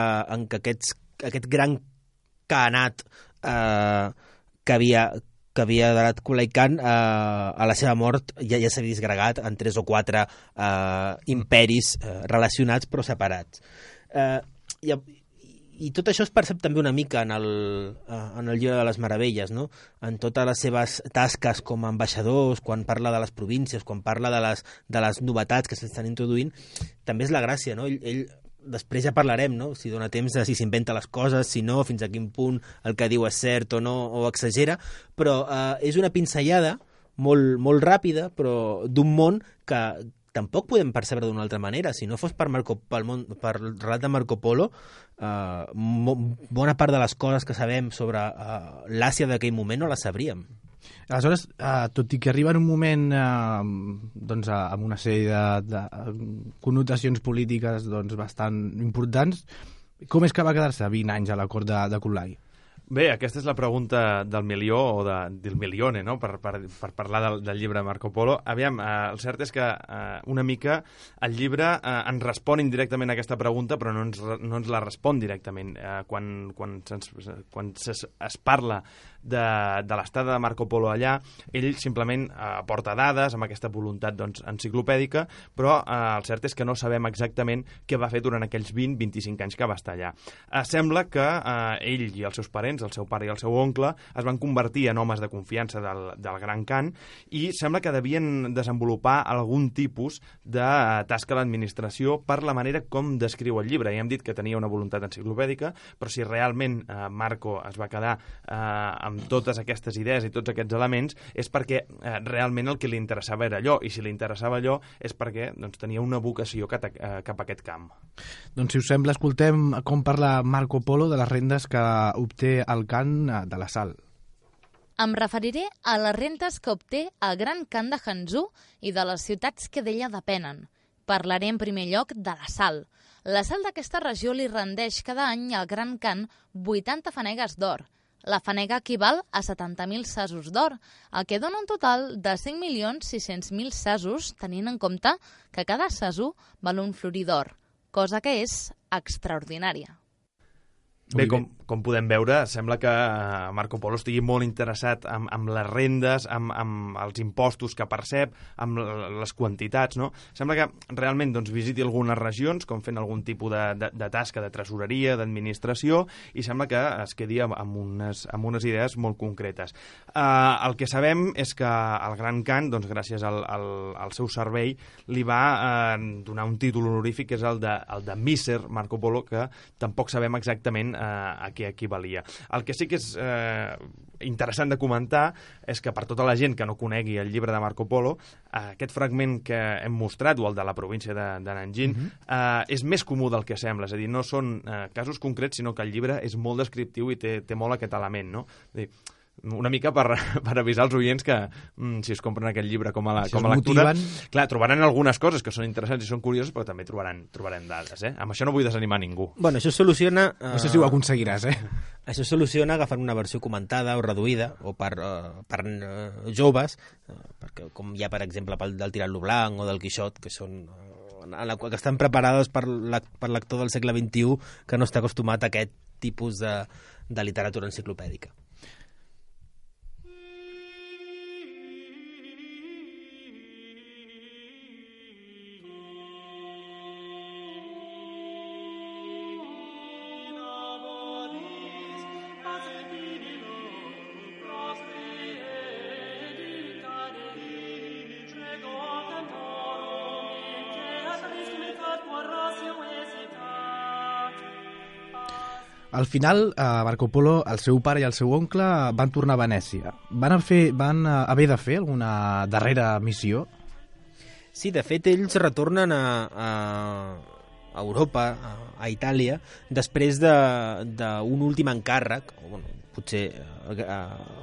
aquest gran khanat que havia donat Kublai Khan a la seva mort ja s'havia disgregat en 3 o 4 imperis relacionats però separats. I tot això es percep també una mica en el llibre de les Meravelles, no? En totes les seves tasques com a ambaixadors, quan parla de les províncies, quan parla de les novetats que s'estan introduint, també és la gràcia, no? Ell després ja parlarem, no? Si dona temps de si s'inventa les coses, si no, fins a quin punt el que diu és cert o no, o exagera, però és una pinzellada molt, molt ràpida, però d'un món que tampoc podem percebre d'una altra manera. Si no fos per el relat de Marco Polo, bona part de les coses que sabem sobre l'Àsia d'aquell moment no les sabríem.
Aleshores, tot i que arriba en un moment amb una sèrie de connotacions polítiques bastant importants, com és que va quedar-se 20 anys a la cort de Kublai?
Bé, aquesta és la pregunta del milió o del milione, no? per parlar del llibre de Marco Polo. Aviam, el cert és que una mica el llibre ens respon indirectament a aquesta pregunta, però no ens la respon directament. Quan es parla de l'estada de Marco Polo allà, ell simplement aporta dades amb aquesta voluntat enciclopèdica, però el cert és que no sabem exactament què va fer durant aquells 20-25 anys que va estar allà. Sembla que ell i els seus parents, el seu pare i el seu oncle, es van convertir en homes de confiança del Gran Khan i sembla que devien desenvolupar algun tipus de tasca a l'administració per la manera com descriu el llibre. Ja hem dit que tenia una voluntat enciclopèdica, però si realment Marco es va quedar amb totes aquestes idees i tots aquests elements és perquè realment el que li interessava era allò, i si li interessava allò és perquè tenia una vocació cap a aquest camp.
Doncs si us sembla, escoltem com parla Marco Polo de les rendes que obté el Khan de la sal.
Em referiré a les rentes que obté el Gran Khan de Hanzhou i de les ciutats que d'ella depenen. Parlaré en primer lloc de la sal. La sal d'aquesta regió li rendeix cada any al Gran Khan 80 fanegues d'or. La fanega equival a 70.000 sasos d'or, el que dona un total de 5.600.000 sasos, tenint en compte que cada saso val un florí d'or, cosa que és extraordinària.
Bé, com podem veure, sembla que Marco Polo estigui molt interessat amb les rendes, amb els impostos que percep, amb les quantitats, no? Sembla que realment visiti algunes regions, com fent algun tipus de tasca de tresoreria, d'administració, i sembla que es quedi amb unes idees molt concretes. El que sabem és que el Gran Khan, gràcies al seu servei, li va donar un títol honorífic, que és el de Mísser Marco Polo, que tampoc sabem exactament a què equivalia. El que sí que és interessant de comentar és que per tota la gent que no conegui el llibre de Marco Polo, aquest fragment que hem mostrat, o el de la província de Nanjing, és més comú del que sembla. És a dir, no són casos concrets, sinó que el llibre és molt descriptiu i té molt aquest element, no? És a dir, una mica per avisar els oients que si es compren aquest llibre com a lectura, clar, trobaran algunes coses que són interessants i són curioses, però també trobaran dades, Amb això no vull desanimar ningú.
Bueno, això soluciona...
No sé si ho aconseguiràs,
Això soluciona agafant una versió comentada o reduïda, o per joves, perquè com hi ha, per exemple, del Tirant-lo Blanc o del Quixot, que són... que estan preparades per lector del segle XXI que no està acostumat a aquest tipus de literatura enciclopèdica.
Al final, Marco Polo, el seu pare i el seu oncle van tornar a Venècia. Van haver de fer alguna darrera missió?
Sí, de fet, ells retornen Europa, a Itàlia, després d'un últim encàrrec, potser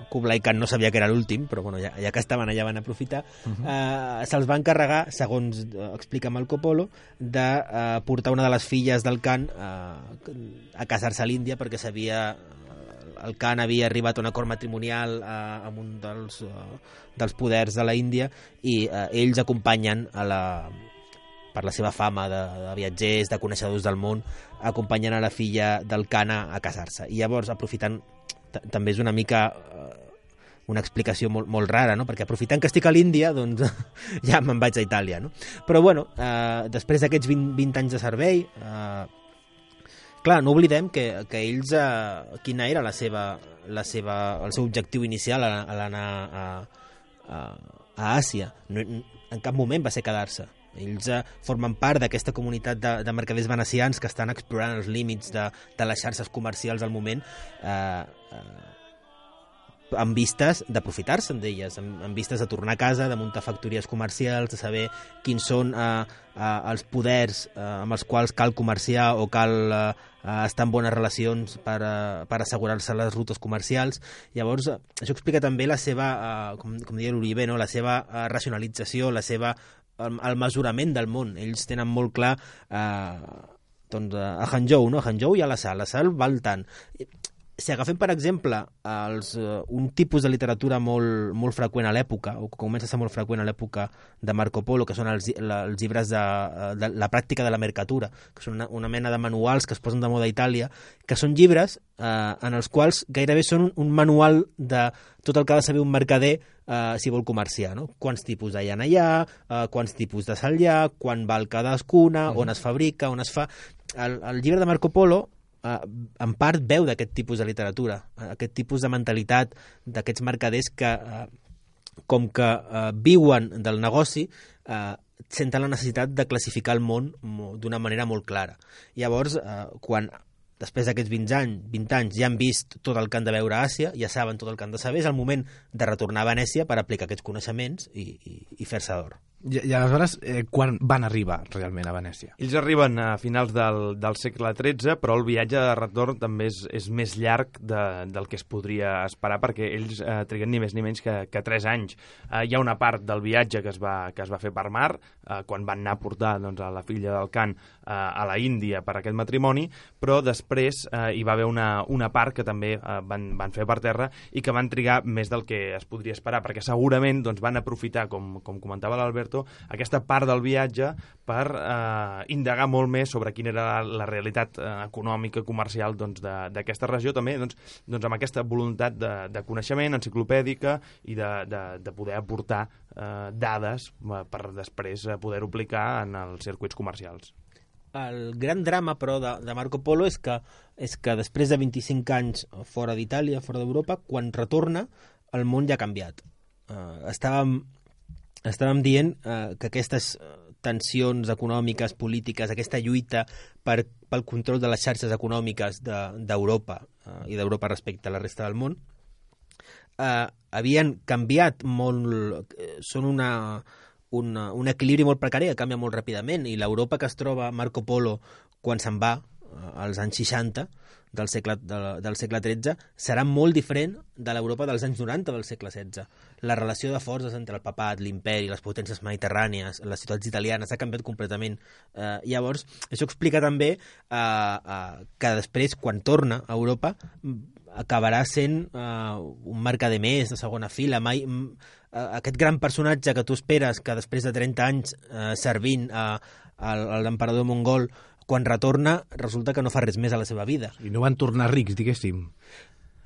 Kublai Khan no sabia que era l'últim, però ja que estaven allà van aprofitar, se'ls va encarregar, segons explica Marco Polo, de portar una de les filles del Khan a casar-se a l'Índia, perquè el Khan havia arribat a un acord matrimonial amb un dels poders de la Índia, i ells acompanyen per la seva fama de viatgers, de coneixedors del món, acompanyen a la filla del Khan a casar-se. I llavors, aprofitant, també és una mica una explicació molt rara, no? Perquè aprofitant que estic a l'Índia, doncs ja me'n vaig a Itàlia, no? Però bueno, després d'aquests 20 anys de servei, clar, no oblidem que ells, quina era el seu objectiu inicial a l'anar a Àsia. En cap moment va ser quedar-se. Ells formen part d'aquesta comunitat de mercaders venecians que estan explorant els límits de les xarxes comercials al moment, amb vistes d'aprofitar-se'n d'elles, amb vistes de tornar a casa, de muntar factories comercials, de saber quins són els poders amb els quals cal comerciar o cal estar en bones relacions per assegurar-se les rutes comercials. Llavors, això explica també la seva, com deia l'Uribe, no? La seva racionalització, el mesurament del món. Ells tenen molt clar a Hangzhou, no? A Hangzhou hi ha la sal val tant. Si agafem, per exemple, un tipus de literatura molt freqüent a l'època, o que comença a ser molt freqüent a l'època de Marco Polo, que són els llibres de la pràctica de la mercatura, que són una mena de manuals que es posen de moda a Itàlia, que són llibres en els quals gairebé són un manual de tot el que ha de saber un mercader si vol comerciar, no? Quants tipus hi ha allà, quants tipus de sal hi ha, quan val cadascuna, on es fabrica, on es fa... El llibre de Marco Polo en part veu d'aquest tipus de literatura, aquest tipus de mentalitat d'aquests mercaders que, com que viuen del negoci, senten la necessitat de classificar el món d'una manera molt clara. Llavors, quan després d'aquests 20 anys ja han vist tot el que han de veure a Àsia, ja saben tot el que han de saber, és el moment de retornar a Venècia per aplicar aquests coneixements i fer-se d'or.
I aleshores, quan van arribar realment a Venècia?
Ells arriben a finals del segle XIII, però el viatge de retorn també és més llarg del que es podria esperar, perquè ells triguen ni més ni menys que 3 anys. Hi ha una part del viatge que es va fer per mar, quan van anar a portar a la filla del Khan a la Índia per aquest matrimoni, però després hi va haver una part que també van fer per terra i que van trigar més del que es podria esperar, perquè segurament van aprofitar, com comentava l'Alberto, aquesta part del viatge per indagar molt més sobre quina era la realitat econòmica, comercial d'aquesta regió, també amb aquesta voluntat de coneixement enciclopèdica i de poder aportar dades per després poder-ho aplicar en els circuits comercials.
El gran drama, però, de Marco Polo és que després de 25 anys fora d'Itàlia, fora d'Europa, quan retorna, el món ja ha canviat. Estàvem dient que aquestes tensions econòmiques, polítiques, aquesta lluita pel control de les xarxes econòmiques d'Europa i d'Europa respecte a la resta del món havien canviat molt, són un equilibri molt precari que canvia molt ràpidament, i l'Europa que es troba Marco Polo quan se'n va als anys 60 del segle XIII serà molt diferent de l'Europa dels anys 90 del segle XVI. La relació de forces entre el papat, l'imperi, les potències mediterrànies, les ciutats italianes ha canviat completament. Llavors, això explica també que després, quan torna a Europa, acabarà sent un mercader més de segona fila. Aquest gran personatge que tu esperes que després de 30 anys servint a l'emperador mongol, quan retorna, resulta que no fa res més a la seva vida.
I no van tornar rics, diguéssim.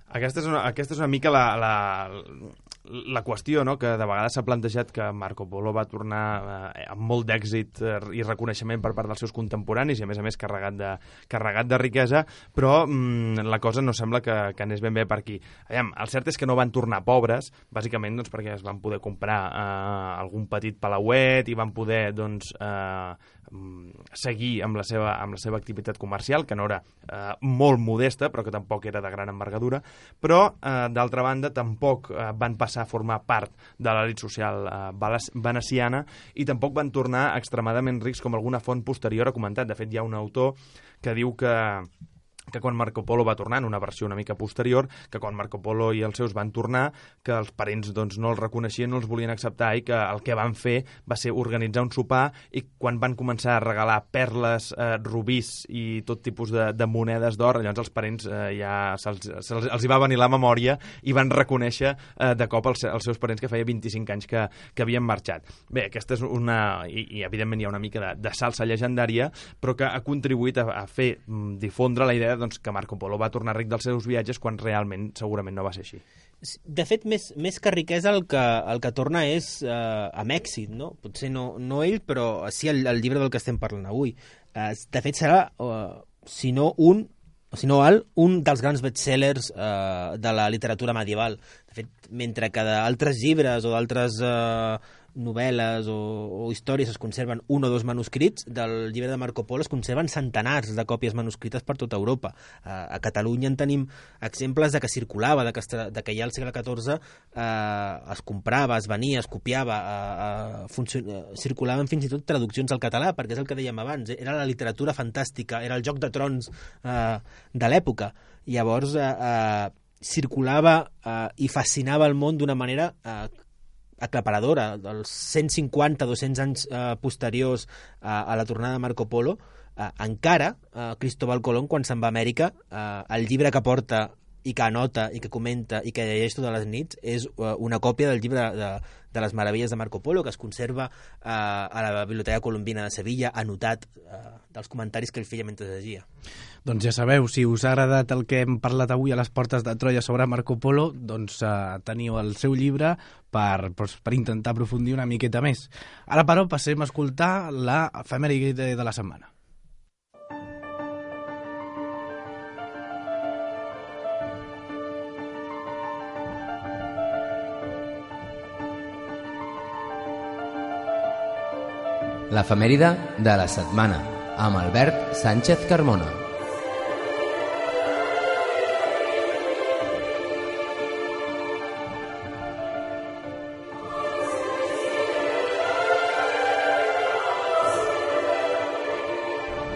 Aquesta és una mica la qüestió, no?, que de vegades s'ha plantejat, que Marco Polo va tornar amb molt d'èxit i reconeixement per part dels seus contemporanis i, a més, carregat de riquesa, però la cosa no sembla que anés ben bé per aquí. El cert és que no van tornar pobres, bàsicament perquè es van poder comprar algun petit palauet i van poder seguir amb la seva activitat comercial, que no era molt modesta, però que tampoc era de gran envergadura, però, d'altra banda, tampoc van passar a formar part de l'elit social veneciana i tampoc van tornar extremadament rics com alguna font posterior ha comentat. De fet, hi ha un autor que diu que quan Marco Polo va tornar, en una versió una mica posterior, que quan Marco Polo i els seus van tornar, que els parents doncs, no els reconeixien, no els volien acceptar i que el que van fer va ser organitzar un sopar i quan van començar a regalar perles, rubís i tot tipus de monedes d'or, llavors els parents ja els hi va venir la memòria i van reconèixer de cop els seus parents que feia 25 anys que havien marxat. Bé, aquesta és una... I evidentment hi ha una mica de salsa llegendària, però que ha contribuït a fer difondre la idea que Marco Polo va tornar ric dels seus viatges quan realment segurament no va ser així.
De fet, més que riquesa el que torna és amb èxit, no? Potser no ell, però sí el llibre del que estem parlant avui. De fet, serà, si no un dels grans bestsellers de la literatura medieval. De fet, mentre que d'altres llibres o d'altres novel·les o històries es conserven 1 o 2 manuscrits, del llibre de Marco Polo es conserven centenars de còpies manuscrites per tota Europa. A Catalunya en tenim exemples de que circulava, de que ja al segle XIV es comprava, es venia, es copiava, circulaven fins i tot traduccions al català, perquè és el que dèiem abans, era la literatura fantàstica, era el Joc de Trons de l'època. Llavors circulava i fascinava el món d'una manera aclaparadora. Dels 150-200 anys posteriors a la tornada de Marco Polo, encara Cristóbal Colón, quan se'n va a Amèrica, el llibre que porta i que anota i que comenta i que llegeix totes les nits és una còpia del llibre de les meravelles de Marco Polo, que es conserva a la Biblioteca Colombina de Sevilla, anotat dels comentaris que ell feia mentre llegia.
Doncs ja sabeu, si us ha agradat el que hem parlat avui a les portes de Troia sobre Marco Polo, doncs teniu el seu llibre per intentar aprofundir una miqueta més. Ara, però, passem a escoltar la efemèride de la setmana.
L'efemèride de la setmana, amb Albert Sánchez Carmona.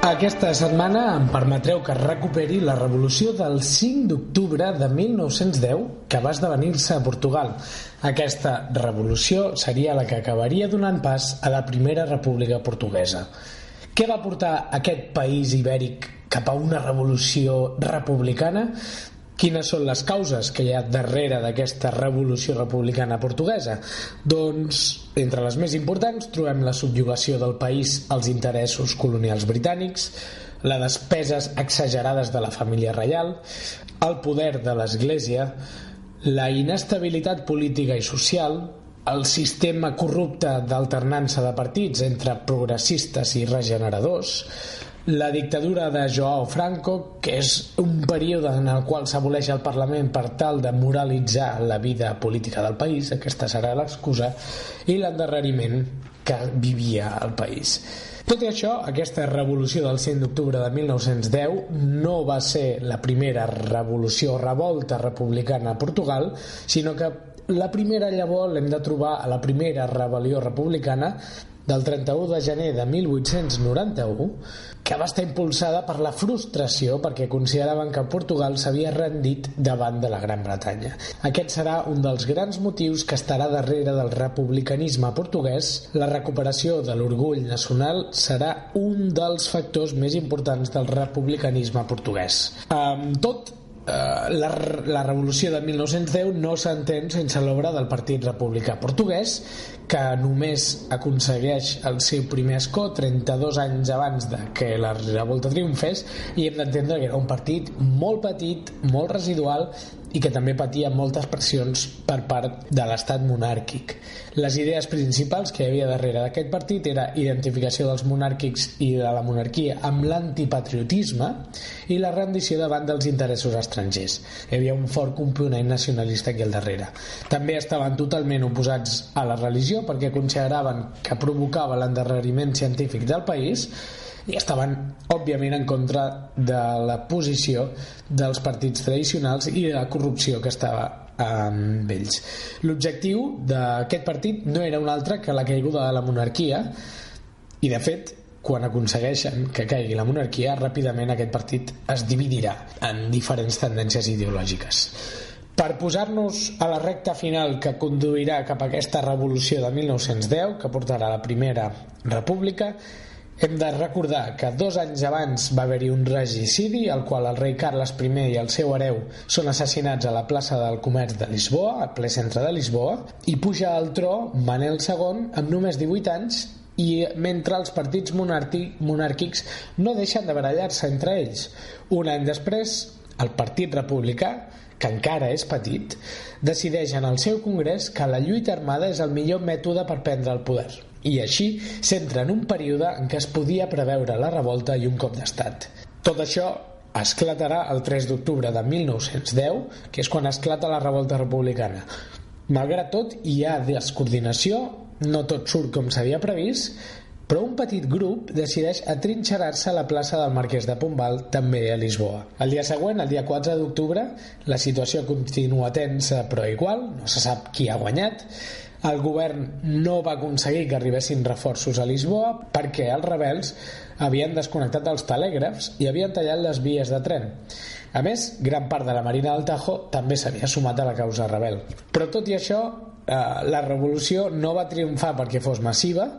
Aquesta setmana em permetreu que recuperi la revolució del 5 d'octubre de 1910, que va esdevenir-se a Portugal. Aquesta revolució seria la que acabaria donant pas a la Primera República Portuguesa. Què va portar aquest país ibèric cap a una revolució republicana? Quines són les causes que hi ha darrere d'aquesta revolució republicana portuguesa? Doncs, entre les més importants, trobem la subjugació del país als interessos colonials britànics, les despeses exagerades de la família reial, el poder de l'Església, la inestabilitat política i social, el sistema corrupte d'alternança de partits entre progressistes i regeneradors, la dictadura de João Franco, que és un període en el qual s'aboleix el Parlament per tal de moralitzar la vida política del país, aquesta serà l'excusa, i l'endarreriment que vivia el país. Tot i això, aquesta revolució del 5 d'octubre de 1910 no va ser la primera revolució o revolta republicana a Portugal, sinó que la primera llavor l'hem de trobar a la primera rebel·lió republicana del 31 de gener de 1891, que va estar impulsada per la frustració perquè consideraven que Portugal s'havia rendit davant de la Gran Bretanya. Aquest serà un dels grans motius que estarà darrere del republicanisme portuguès. La recuperació de l'orgull nacional serà un dels factors més importants del republicanisme portuguès. La revolució de 1910 no s'entén sense l'obra del Partit Republicà Portuguès, que només aconsegueix el seu primer escó 32 anys abans de que la revolta triomfés, i hem d'entendre que era un partit molt petit, molt residual i que també patia moltes pressions per part de l'estat monàrquic. Les idees principals que hi havia darrere d'aquest partit era identificació dels monàrquics i de la monarquia amb l'antipatriotisme i la rendició davant dels interessos estrangers. Hi havia un fort component nacionalista aquí al darrere. També estaven totalment oposats a la religió perquè consideraven que provocava l'endarreriment científic del país i estaven, òbviament, en contra de la posició dels partits tradicionals i de la corrupció que estava amb ells. L'objectiu d'aquest partit no era un altre que la caiguda de la monarquia i, de fet, quan aconsegueixen que caigui la monarquia, ràpidament aquest partit es dividirà en diferents tendències ideològiques. Per posar-nos a la recta final que conduirà cap a aquesta revolució de 1910, que portarà a la Primera República, hem de recordar que 2 anys abans va haver-hi un regicidi, al qual el rei Carles I i el seu hereu són assassinats a la plaça del Comerç de Lisboa, al ple centre de Lisboa, i puja al tro Manel II amb només 18 anys, i mentre els partits monàrquics no deixen de barallar-se entre ells. Un any després, el Partit Republicà, que encara és petit, decideix en el seu congrés que la lluita armada és el millor mètode per prendre el poder. I així s'entra en un període en què es podia preveure la revolta i un cop d'estat. Tot això esclatarà el 3 d'octubre de 1910, que és quan esclata la revolta republicana. Malgrat tot, hi ha descoordinació, no tot surt com s'havia previst, però un petit grup decideix atrinxerar-se a la plaça del Marquès de Pombal, també a Lisboa. El dia següent, el dia 4 d'octubre, la situació continua tensa però igual, no se sap qui ha guanyat. El govern no va aconseguir que arribessin reforços a Lisboa perquè els rebels havien desconnectat els telègrafs i havien tallat les vies de tren. A més, gran part de la Marina del Tajo també s'havia sumat a la causa rebel. Però tot i això, la revolució no va triomfar perquè fos massiva,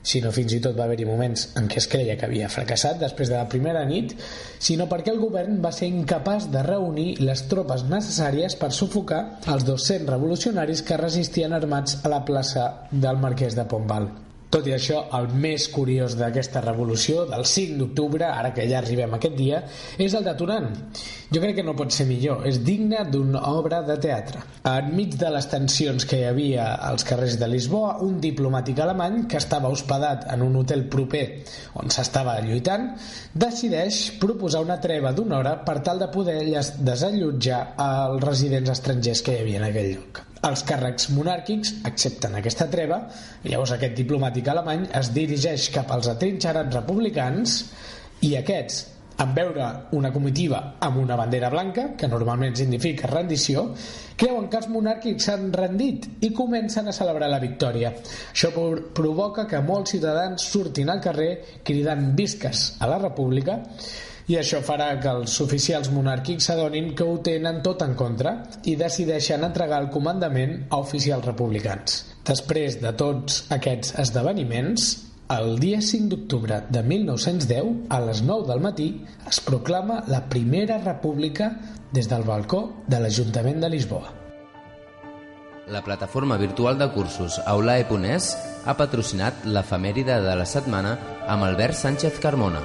sinó fins i tot va haver-hi moments en què es creia que havia fracassat després de la primera nit, sinó perquè el govern va ser incapaç de reunir les tropes necessàries per sufocar els 200 revolucionaris que resistien armats a la plaça del Marquès de Pombal. Tot i això, el més curiós d'aquesta revolució, del 5 d'octubre, ara que ja arribem a aquest dia, és el detonant. Jo crec que no pot ser millor, és digne d'una obra de teatre. Enmig de les tensions que hi havia als carrers de Lisboa, un diplomàtic alemany que estava hospedat en un hotel proper on s'estava lluitant, decideix proposar una treva d'una hora per tal de poder desallotjar els residents estrangers que hi havia en aquell lloc. Els càrrecs monàrquics accepten aquesta treva i llavors aquest diplomàtic alemany es dirigeix cap als atrinxerats republicans i aquests, en veure una comitiva amb una bandera blanca, que normalment significa rendició, creuen que els monàrquics s'han rendit i comencen a celebrar la victòria. Això provoca que molts ciutadans surtin al carrer cridant visques a la república, i això farà que els oficials monàrquics s'adonin que ho tenen tot en contra i decideixen entregar el comandament a oficials republicans. Després de tots aquests esdeveniments, el dia 5 d'octubre de 1910, a les 9 del matí, es proclama la Primera República des del balcó de l'Ajuntament de Lisboa.
La plataforma virtual de cursos Aulae.es ha patrocinat l'efemèride de la setmana amb Albert Sánchez Carmona.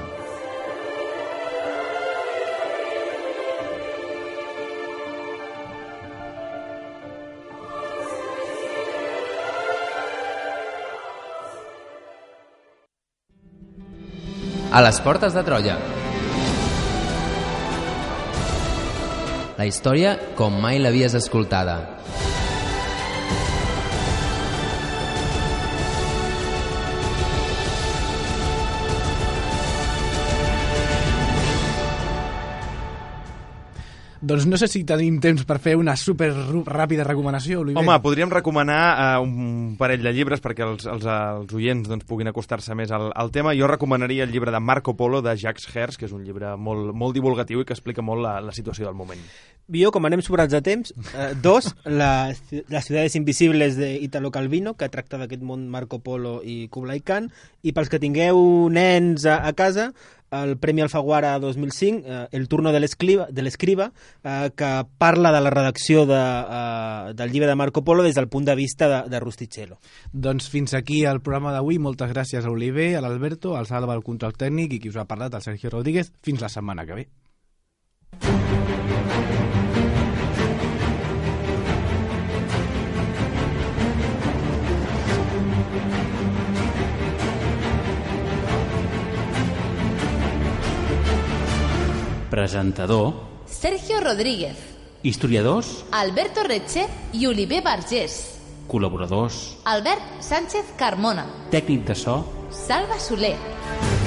A les portes de Troia. La història com mai l'havies escoltada.
Doncs no sé si tenim temps per fer una super ràpida recomanació, Oliver.
Home, podríem recomanar un parell de llibres perquè els oients doncs, puguin acostar-se més al tema. Jo recomanaria el llibre de Marco Polo, de Jacques Herz, que és un llibre molt divulgatiu i que explica molt la situació del moment.
Jo, com anem sobrats de temps, Las ciudades invisibles d'Italo Calvino, que tracta d'aquest món Marco Polo i Kublai Khan, i pels que tingueu nens a casa, el Premi Alfaguara 2005, El turno de l'escriba, que parla de la redacció del llibre de Marco Polo des del punt de vista de Rustichello.
Doncs fins aquí el programa d'avui. Moltes gràcies a Oliver, a l'Alberto, al Salva, al control tècnic, i qui us ha parlat, el Sergio Rodríguez. Fins la setmana que ve.
Presentador:
Sergio Rodríguez.
Historiadors:
Alberto Retxe i Oliver Vergés.
Col·laboradors:
Albert Sánchez Carmona.
Tècnic de so:
Salva Soler.